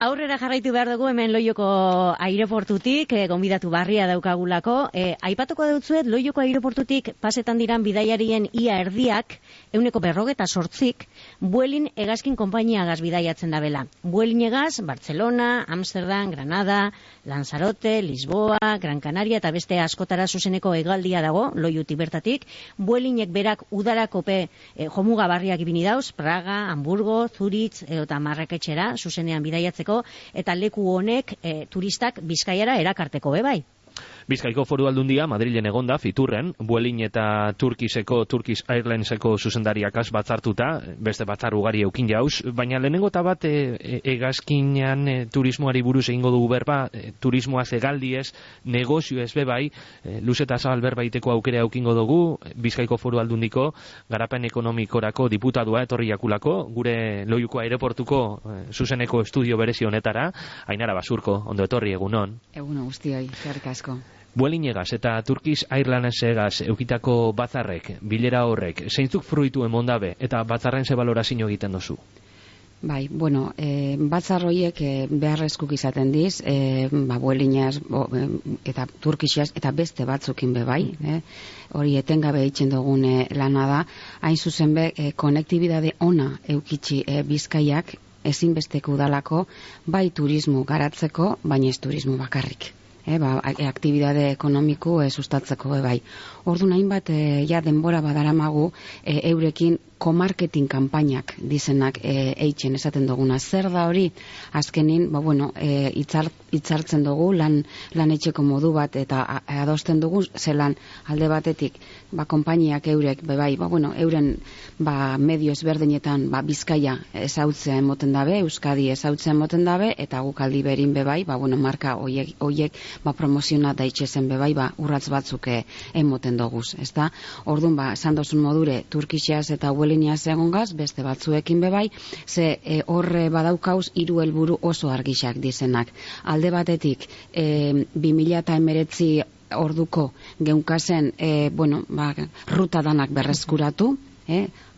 Aurrera jarraitu behar dugu hemen Loioko aireportutik, gonbidatu barria daukagulako. Aipatuko dutzuet, Loioko aireportutik pasetan diran bidaiarien ia erdiak, 48%, Vueling hegazkin konpainiagaz bidaiatzen dabela. Vueling hegaz, Barcelona, Amsterdam, Granada, Lanzarote, Lisboa, Gran Canaria eta beste askotara zuzeneko hegaldia dago, Loiutik bertatik. Vuelingek berak udarakope jomuga barriak ibini dauz, Praga, Hamburgo, Zurich eta Marraketxera zuzenean bidaiatzeko, eta leku honek turistak Bizkaiara erakarteko bai. Bizkaiko Foru Aldundia Madrilen egonda Fiturren, Vueling eta Turkish Airlineseko zuzendariakaz batzartuta, beste batzar ugari eukin jauz, baina lehenengo eta bat hegazkinean turismoari buruz egingo dugu berba, turismoaz hegaldiez, negozioez bai, luze eta zabal berba iteko aukera eukingo dugu, Bizkaiko Foru Aldundiko garapen ekonomikorako diputadua etorri jakulako, gure Loiuko aireportuko zuzeneko estudio berezi honetara, Ainara Basurko, ondo etorri egunon. Egunon guztioi, eskerrik asko. Vueling hegaz eta Turkish Airlines hegaz eukitako batzarrek, bilera horrek, zeintzuk fruitu emondabe eta batzarren ze balorazio egiten dozu? Bai, bueno, batzar horiek beharrezkuk izaten diz, Vuelingaz eta Turkishaz eta beste batzukin bai, hori etengabe eitzen dugun lana da, hain zuzen konektibidade ona eukitzi Bizkaiak ezinbesteko udalako, bai turismo garatzeko, baina ez turismo bakarrik. Aktibidade ekonomiku sustatzeko bai. Orduan hainbat denbora badaramagu eurekin komarketing kanpainak dizenak eitzen esaten duguna. Zer da hori? Azkenin, hitzartzen dugu lan etxeko modu bat eta adosten dugu zelan alde batetik konpainiak eurek bai, euren medio ezberdinetan Bizkaia ezautzea emoten dabe, Euskadi ezautzea emoten dabe eta guk aldi berin bai, marka hoiek promoziona da itxezen bai, urratz batzuk emoten doguz, ezta? Orduan, esan dozun modure, Turkishaz eta Vuelingaz egongaz, beste batzuekin bai, ze horre badaukauz 3 helburu oso argixak dizenak. Alde batetik, 2019 orduko geunkazen, ruta danak berreskuratu,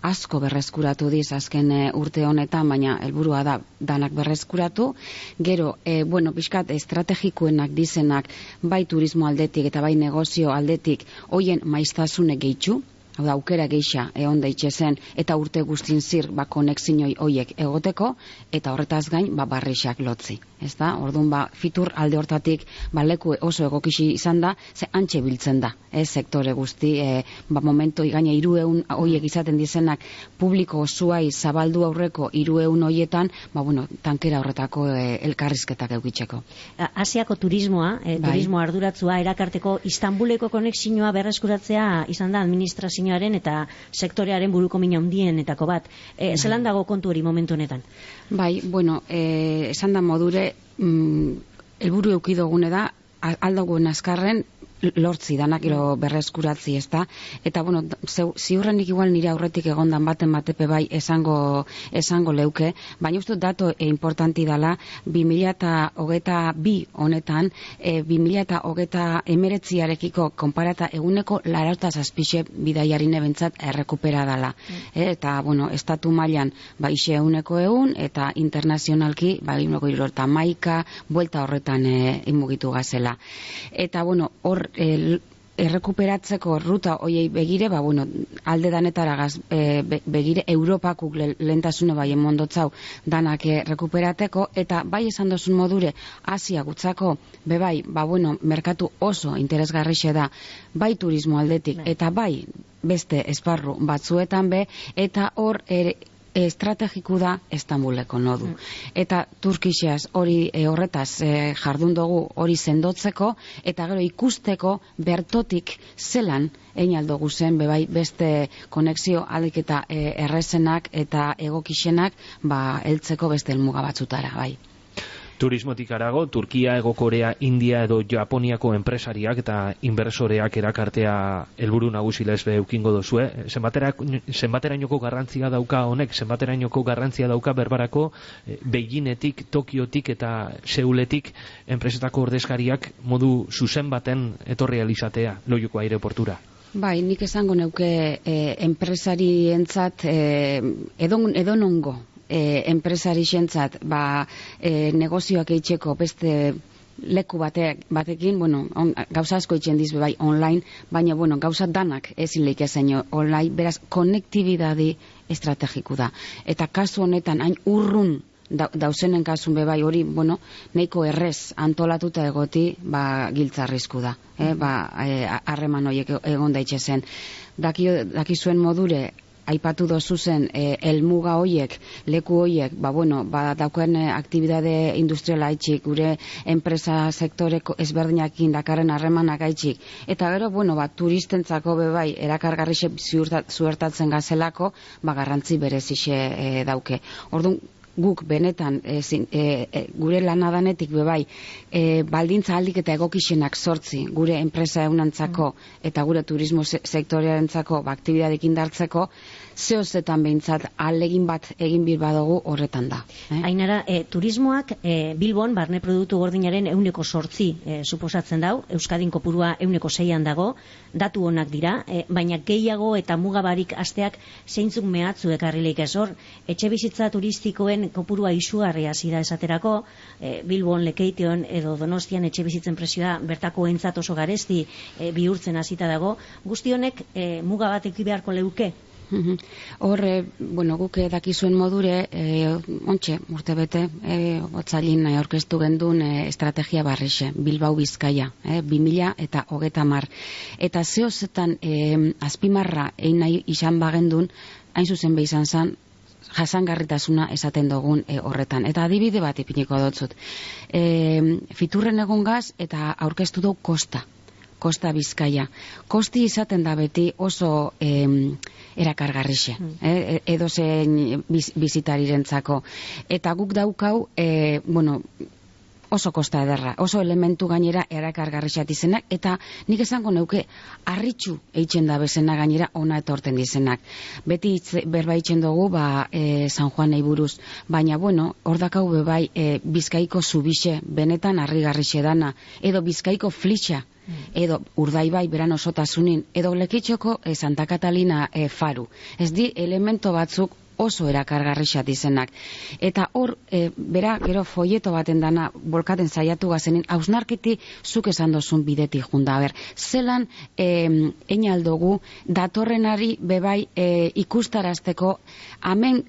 asko berreskuratu diz azken urte honetan, baina helburua da danak berreskuratu. Gero, pixkat estrategikoenak dizenak bai turismo aldetik eta bai negozio aldetik hoien maiztasune gehitxu, hau da, aukera geixa egon daitxezen eta urte guztin zir konexinoi hoiek egoteko eta horretaz gain barrixak lotzi. Orduan, Fitur alde hortatik leku oso egokixi izan da, ze antxe biltzen da, sektore guzti, momentu igaina 300 hoiek izaten dizenak publiko osuai zabaldu aurreko 300 hoietan, tankera horretako elkarrizketak eukitzeko. Asiako turismoa, turismo arduratzua erakarteko Istanbuleko konexioa berreskuratzea izan da administrazioaren eta sektorearen buruko mina handienetako bat. Zelan dago kontu hori momentu honetan? Bai, esan da modure, helburu eukidogune da, aldagoen azkarren lortzi danak berreskuratzi, ezta? Eta, ziurrenik igual nire aurretik egondan baten batepe bai esango leuke, baina uste dato importanti dela 2022 honetan, 2019arekiko konparata eguneko 87 bidaiarine bentsat errekupera dela. Eta, estatu mailan ixe eguneko egun, eta internazionalki, 71 buelta horretan inmugitu gazela. Eta, hor errekuperatzeko ruta hoiei begire, alde danetaragaz begire Europakuk lehentasune bai emondotzau danak rekuperateko, eta bai esan dozun modure Asia gutzako bebai, merkatu oso interesgarrixe da, bai turismo aldetik, eta bai beste esparru batzuetan eta hor estrategiku da Istanbuleko nodu. Eta Turkishaz hori horretaz jardun dugu hori sendotzeko, eta gero ikusteko bertotik zelan einaldo zen bai beste konexio alik eta errezenak eta egokixenak heltzeko beste helmuga batzutara, bai. Turismotik arago, Turkia, Hego Korea, India edo Japoniako enpresariak eta inbersoreak erakartea helburu nagusi lezbe eukingo dozue. Zenbaterainoko garrantzia dauka honek, zenbaterainoko garrantzia dauka berbarako Beijingetik, Tokiotik eta Seuletik enpresetako ordezkariak modu zuzen baten etorri alizatea Loiuko aireportura? Bai, nik esango neuke enpresarientzat edonongo enpresari xentzat, negozioak eitzeko beste leku batekin, gauza asko itxen diz bai online, baina, gauza danak ezin leik ezen online, beraz, konektibidadi estrategiku da. Eta kasu honetan, hain urrun dauzenen kasun bai hori, nahiko errez antolatuta egoti, giltzarrizku da. Harreman horiek egon daitzezen. Dakizuen modure, aipatu dozu zen, helmuga hoiek, leku hoiek, dauken aktibidade industriala haitxik, gure enpresa sektoreko ezberdinak dakarren harremanak haitxik, eta gero, turistentzako bebai, erakargarrixe zuertatzen gazelako, garrantzi berezixe dauke. Orduan, guk benetan gure lanadanetik bebai baldintza aldik eta egokixenak sortzi gure enpresa eunantzako eta gure turismo sektorearentzako aktibidadekin dartzeko, zehozetan behintzat alegin bat egin bir badugu horretan da. Ainara, turismoak Bilbon barne produktu gordinaren 8% suposatzen dau, Euskadin kopurua 6% dago, datu onak dira, baina gehiago eta mugabarik asteak zeintzuk mehatzu ekarrileik ez hor, etxe bizitza turistikoen kopurua izugarria hasi da esaterako, Bilbon, Lekeition edo Donostian etxe bizitzen presioa bertako entzat oso garesti bihurtzen hasita dago, guzti honek muga bat eki beharko leuke? Horre, guk dakizuen modure, urte bete, otzailin aurkeztu gendun estrategia barrixe, Bilbao Bizkaia, 2030. Eta zehozetan azpimarra egin nahi izan bagendun, hain zuzen izan zan, jasangarritasuna esaten dugun horretan. Eta adibide bat ipiniko dotzut. Fiturren egon gaz eta aurkeztu dugu Kosta Bizkaia. Kosti izaten da beti oso erakargarrixe, edozein bizitarirentzako. Eta guk daukau, oso kosta ederra, oso elementu gainera erakargarrixat izenak, eta nik esango neuke harritxu eitzen da bezena gainera ona etorten dizenak. Beti berba eitzen dugu San Juanei buruz, baina hor dakau bebai Bizkaiko zubixe, benetan harrigarrixe dana, edo Bizkaiko flitxa, edo Urdaibai beran osotasunin, edo Lekitxoko Santa Catalina faru. Ez di elemento batzuk oso erakargarrixat izenak. Eta hor, gero folleto baten dana bolkaten saiatu gazenin, hausnarketi zuk esan dozun bidetik junda. Zelan einaldogu datorrenari bebai ikustarazteko hemen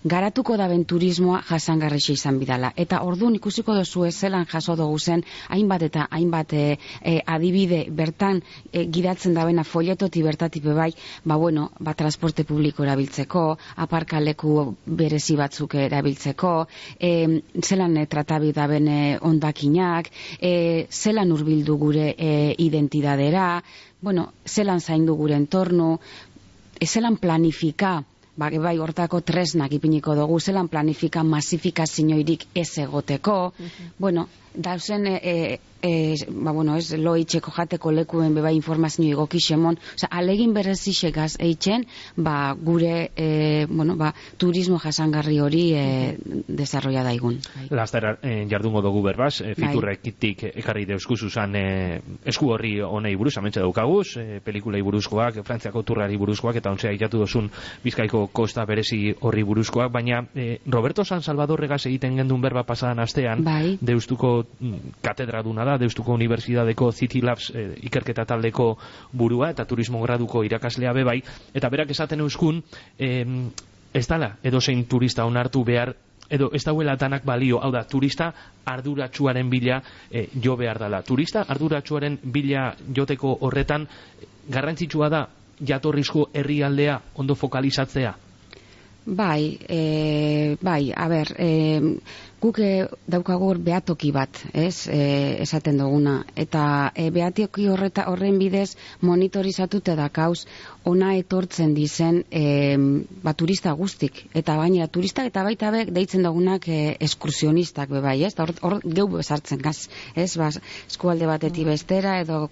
garatuko daben turismoa jasangarrixe izan bidala. Eta orduan ikusiko dozu zelan jaso dugu zen hainbat eta hainbat adibide bertan gidatzen dabena folletoti bertatik bebai, transporte publiko erabiltzeko, aparkaleku berezi batzuk erabiltzeko, zelan tratabi daben ondakinak, zelan hurbildu gure identidadera, zelan zaindu gure entornu, zelan planifika, hortako tresnak ipiniko dugu, zelan planifika masifikazioirik ez egoteko, dauzen ez loitxeko jateko lekuen bebai informazio egokixemon, alegin berezixegaz eitzen gure turismo jasangarri hori desarrolla daigun. Laster jardungo dugu berbaz, fiturrekitik ekarri deuskuzuzan esku horri honei buruz, amentxe daukaguz, pelikulei buruzkoak, Frantziako turrari buruzkoak, eta ontzea itatu dozun Bizkaiko kosta berezi horri buruzkoak, baina Roberto San Salvadorregaz egiten gendun berba pasadan astean, Deustuko katedraduna da, Deustuko Unibertsitateko City Labs ikerketa taldeko burua eta turismo graduko irakaslea bebai, eta berak esaten euskun ez dala edozein turista onartu behar, edo ez dauela danak balio, hau da, turista arduratsuaren bila jo behar dala. Turista arduratsuaren bila joteko horretan garrantzitsua da jatorrizko herrialdea ondo fokalizatzea? Guk daukagur behatoki bat, esaten duguna, eta behatoki horren bidez monitorizatute dakauz ona etortzen dizen turista guztik, eta baina turistak eta baita bek deitzen dugunak eskursionistak bebai, hor geu bezartzen gaz, eskualde batetik bestera edo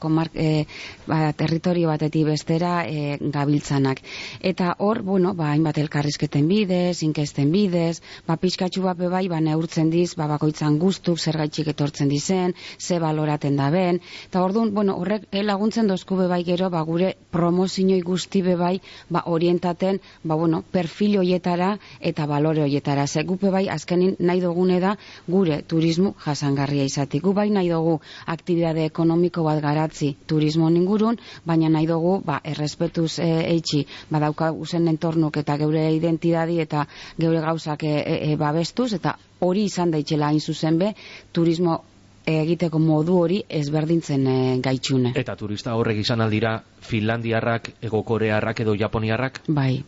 territorio batetik bestera gabiltzanak. Eta hor, hainbat elkarrizketen ikerketen bidez, inkesten bidez, pixkatxu bat bebai, neurtzen diz, bakoitzan guztuk, zergaitxik etortzen dizen, ze baloraten da ben, eta orduan, horrek laguntzen dozku bebai gero, gure promozioi guzti bebai, orientaten, perfil hoietara eta balore hoietara. Ze gu bebai, azkenin nahi dugune da, gure turismo jasangarria izatik. Gu bai nahi dugu aktibidade ekonomiko bat garatzi turismo ingurun, baina nahi dugu, errespetuz eitxi, badauka usen entornuk eta geure identidadi eta geure gauzak babestuz, eta hori izan daitxela hain zuzen be, turismo egiteko modu hori ezberdintzen gaitxune. Eta turista horrek izan aldira finlandiarrak, egokorearrak edo japoniarrak? Bai.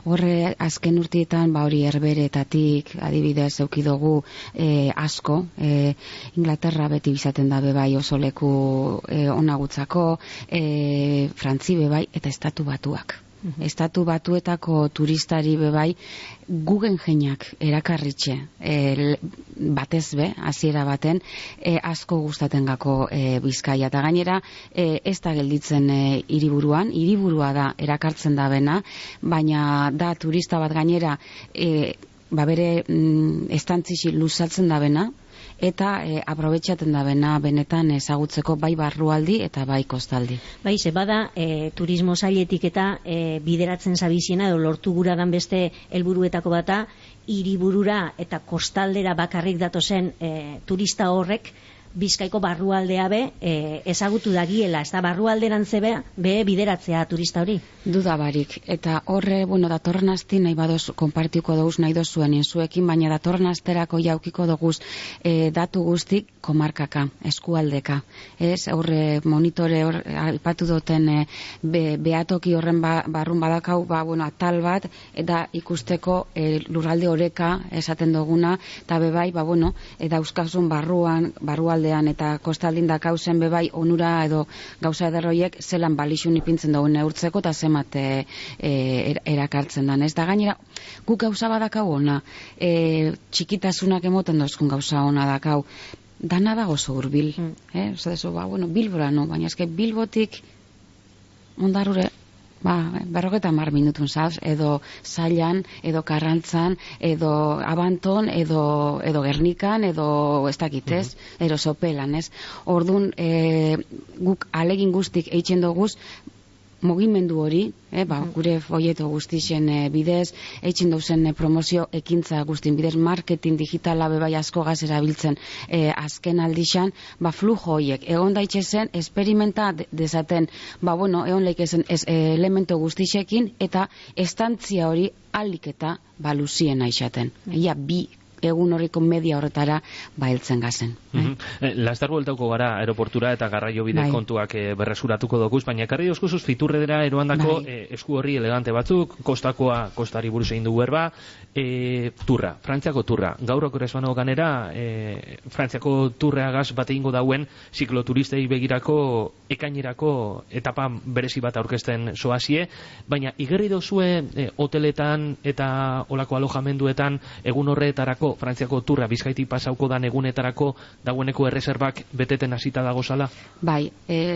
Horre azken urtietan, hori herberetatik, adibidez, eukidogu asko, Inglaterra beti bizaten da bebai oso leku onagutzako, Frantzi bebai, eta Estatu Batuak. Estatu Batuetako turistari bebai gugen jeinak erakarritxe batez be, hasiera baten asko gustaten gako Bizkaia, eta gainera ez da gelditzen hiriburua da erakartzen da bena, baina da turista bat gainera bere estantzisi luzatzen da bena, eta aprobetxaten da bena benetan ezagutzeko bai barrualdi eta bai kostaldi. Bai, ze bada turismo sailetik eta bideratzen zabiziena edo lortu gura dan beste helburuetako bata, hiriburura eta kostaldera bakarrik datozen turista horrek Bizkaiko barrualdea be ezagutu dagiela, ez da barrualderantze be bideratzea turista hori. Dudabarik, eta horre, datorren asti nahi badoz konpartiko doguz nahi dozuen inzuekin, baina datorren asterako jaukiko doguz datu guztik komarkaka, eskualdeka. Ez, horre monitore aipatu duten behatoki horren barrun badakau, atal bat, eta ikusteko lurralde oreka esaten duguna, eta bebai, dauzkazun barrualde eta kostaldin dakauzen bebai onura edo gauza ederroiek zelan balixun ipintzen dugu neurtzeko eta zemat erakartzen dan. Ez da gainera, guk gauza badakau ona, txikitasunak emoten dozkun gauza ona dakau, dana da oso hurbil. Bilbora no, baina eske Bilbotik ondarure 50 minutun zaz, edo Zailan, edo Karrantzan, edo Abanton, edo Gernikan, edo ez dakitez, edo Sopelan, ez? Orduan, guk alegin guztik eitzen doguz, mugimendu hori, gure folleto guztixen bidez, eitzen dauzen promozio ekintza guztin bidez, marketing digitala bebai asko gazera biltzen azken aldixan, flujo horiek, egon daitxezen, esperimenta dezaten, egon leikezen elemento guztixekin, eta estantzia hori alik eta luzien aixaten. Ia bi egun horriko media horretara heltzen gazen. Laster bueltauko gara aeroportura eta garraio bide kontuak berresuratuko dokuz, baina ekarri dozkuzuz Fiturredera eroandako esku horri elegante batzuk, kostakoa kostari buruz egin dugu erba, turra, Frantziako turra. Gaur okoresbano ganera, Frantziako turreagaz bat egingo dauen zikloturistei begirako ekainerako etapa berezi bat aurkezten soazie, baina igerri dozue hoteletan eta olako alojamenduetan egun horretarako Frantziako turra Bizkaitik pasauko dan egunetarako dagoeneko erreserbak beteten hasita dago zala? Bai,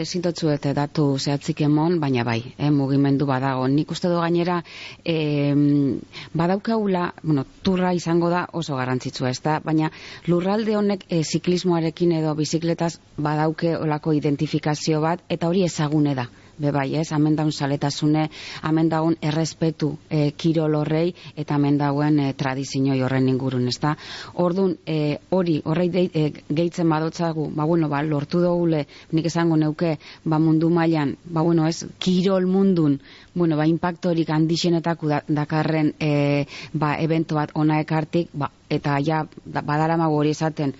zintotzuet datu zehatzik emon, baina bai, mugimendu badago. Nik uste du gainera badaukaula, turra izango da oso garrantzitsua, ez da, baina lurralde honek ziklismoarekin edo bizikletaz badauke olako identifikazio bat, eta hori ezagune da. Bebai, ez, hemen daun saletasune, hemen daun errespetu kirol horrei, eta hemen dauen tradizioi horren ingurun, ez da. Orduan, horrei gehitzen badotzagu, lortu dugule, nik esango neuke, mundu mailan, ez, kirol mundun, impactorik handixenetako dakarren evento bat ona ekartik, eta ja, badaramago hori esaten,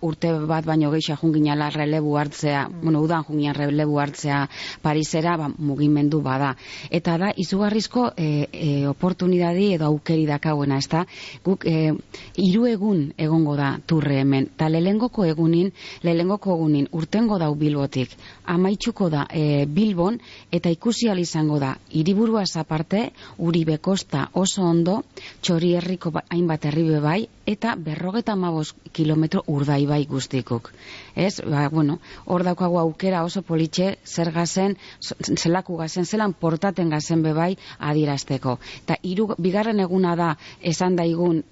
urte bat baino gehiago junginala relebu hartzea, udan jungian relebu hartzea Parisera, mugimendu bada. Eta da, izugarrizko oportunidadi edo aukeri dakauena, ez da? Guk 3 egun egongo da turre hemen, eta lehengoko egunin urtengo dau Bilbotik, amaitzuko da Bilbon, eta ikusi ahal izango da, hiriburuaz aparte, Uribe Kosta oso ondo, Txorierriko hainbat herri bai, eta 55 kilometro Urdaibai guztikuk. Ez, hor daukagu aukera oso politxe zer gazen, zelaku gazen, zelan portaten gazen bebai adierazteko. Eta bigarren eguna da esan daigun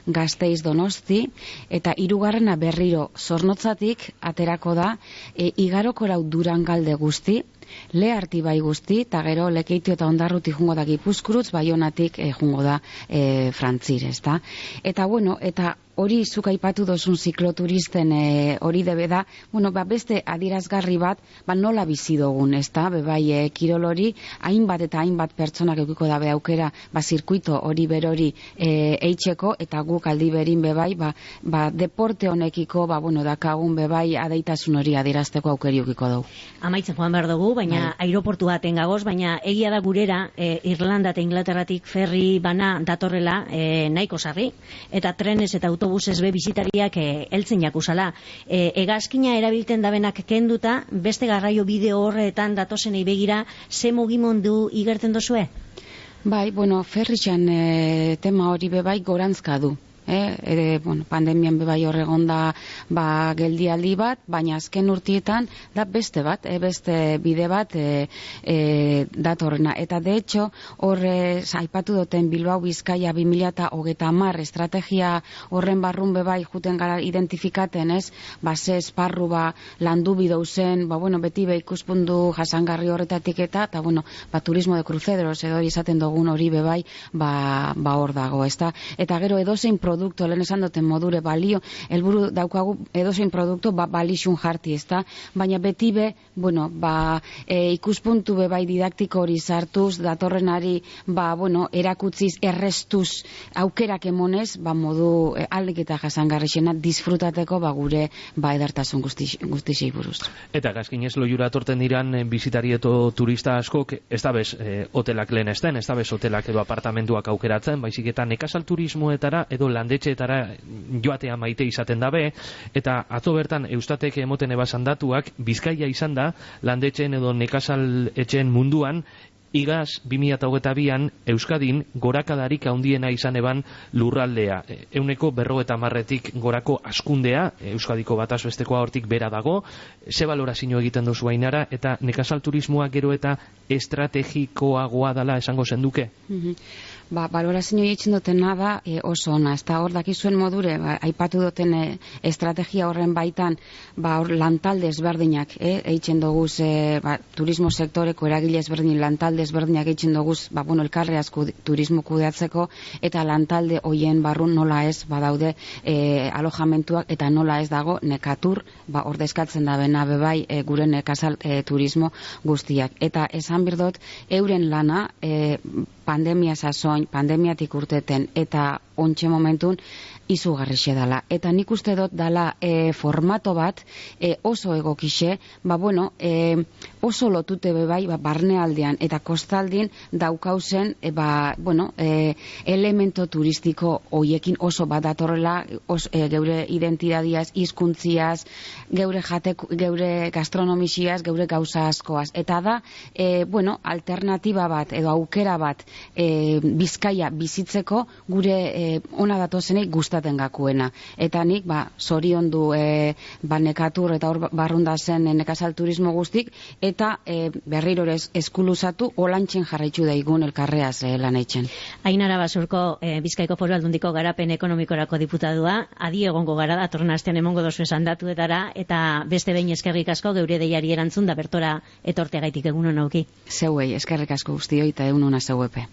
Gasteiz Donosti, eta hirugarrena berriro Zornotzatik aterako da Igarokorau Durangalde guzti, Leharti bai guzti, eta gero Lekeitio eta Ondarruti jungo da Gipuzkurutz, Baionatik jungo da Frantzir, ezta? Eta eta hori zuk aipatu dozun zikloturisten hori debe da, beste adierazgarri bat, nola bizi dugun, ezta? Bebai, kirol hori, hainbat eta hainbat pertsonak eukiko dabe aukera, zirkuito hori berori eitzeko, eta guk aldi berin bebai, deporte honekiko, dakagun bebai adeitasun hori adierazteko aukeri eukiko dugu. Amaitzen joan behar dugu, baina aireportu baten gagoz, baina egia da gurera Irlanda eta Inglaterratik ferri bana datorrela nahiko sarri, eta trenez eta autobusez be bizitariak heltzen jakusala. Hegazkina erabilten dabenak kenduta, beste garraio bideo horretan datozenei begira, ze mugimendu igertzen dozue? Bai, ferritxan tema hori bebai gorantzka du. Pandemian bebai horregon da geldialdi bat, baina azken urtietan da beste bat, beste bide bat datorrena. Eta de hecho, hor aipatu duten Bilbao Bizkaia 2030 estrategia horren barrun bebai juten gara identifikaten, ze esparru landu bidouzen, beti ikuspundu jasangarri horretatik eta turismo de cruceros edo izaten dugun hori bebai hor dago, ezta? Eta gero edozein produktu, lehen esan duten modure balio, helburu daukagu edozein produktu balixun jarti, ezta? Baina beti ikuspuntu bai didaktiko hori sartuz, datorrenari, erakutziz, errestuz, aukerak emonez, modu aldik eta jasangarrixena disfrutateko gure edertasun guztixei buruz. Eta gazkinez loiura atorten diran bizitarieto turista askok, ez da bez hotelak lehen esten, ez da bez hotelak edo apartamentuak aukeratzen, baizik eta nekazal turismoetara edo landetxeetara joatea maite izaten dabe, eta atzo bertan Eustatek emoten ebasan datuak, Bizkaia izan da landetxeen edo nekazal etxeen munduan igaz 2022an Euskadin gorakadarik handiena izan eban lurraldea. 50%tik gorako askundea, Euskadiko bataz bestekoa hortik bera dago. Ze balorazio egiten duzu Ainara, eta nekazal turismoa gero eta estrategikoagoa dela esango zenduke? Balorazio egiten dutena da oso ona, ez da hor dakizuen modure, aipatu duten estrategia horren baitan, hor lantalde ezberdinak egiten doguz, turismo sektoreko eragile ezberdin lantalde ezberdinak egiten doguz, elkarreaz turismo kudeatzeko, eta lantalde hoien barrun nola ez badaude alojamentuak, eta nola ez dago nekatur, ordezkatzen da bena bebai gure nekazal turismo guztiak. Eta esan birdot, euren lana pandemia sasoin, pandemiatik urteten eta ontxe momentun izugarrixe dala. Eta nik uste dut dala formato bat oso egokixe, oso lotute bebai barnealdean eta kostaldin daukauzen elemento turistiko hoiekin oso bat datorrela geure identidadiaz, hizkuntziaz, geure gastronomisiaz, geure gauza askoaz. Eta da, alternatiba bat edo aukera bat Bizkaia bizitzeko gure ona datozenei gustatzen gakuena. Eta nik, zoriondu nekatur eta hor barrunda zen nekazal turismo guztik, eta berriro eskuluzatu olantxen jarraitu daigun elkarreaz lan eitzen. Ainara Basurko, Bizkaiko Foru Aldundiko garapen ekonomikorako diputadua, adi egongo gara datorren astean emongo dozu esan datuetara, eta beste behin eskerrik asko geure deiari erantzun da bertora etortegaitik egunon auki. Zeuei, eskerrik asko guztioi eta egunona zeuepe.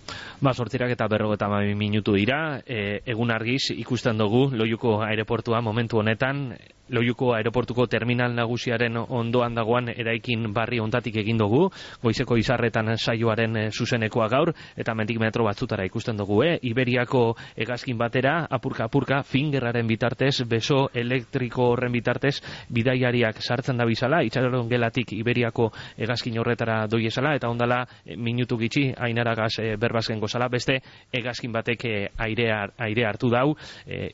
Sortzirak eta 52 minutu dira, egun argiz ikusten dugu Loiuko aireportua momentu honetan, Loiuko aireportuko terminal nagusiaren ondoan dagoan eraikin barri ontatik egin dugu, goizeko izarretan saioaren zuzenekoa gaur, eta mendik metro batzutara ikusten dugu, Iberiako hegazkin batera, apurka, fingerraren bitartez, beso elektriko horren bitartez, bidaiariak sartzen da bizala, itxaron gelatik Iberiako hegazkin horretara doiezala, eta ondala minutu gitxi, Ainaragaz berbazken gozala, beste hegazkin batek aire hartu dau,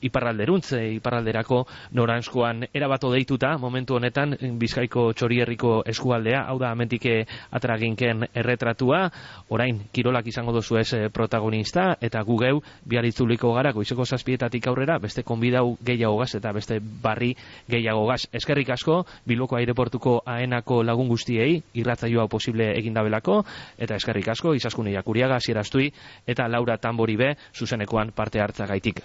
iparralderuntz, iparralderako noranzkoan erabato deituta, momentu honetan Bizkaiko Txorierriko eskualdea, hau da hemendik ateraginken erretratua, orain kirolak izango duzu ez protagonista, eta gu geu biaritzuliko gara goizeko 7:00 aurrera, beste konbidau gehiagogaz eta beste barri gehiagogaz. Eskerrik asko, Bilboko aireportuko aenako lagun guztiei, irratzaioa posible egindabelako, eta eskerrik asko, Izaskune Jakuriaga, Sierastui, eta Laura Tambori be, zuzenekoan parte hartzagaitik.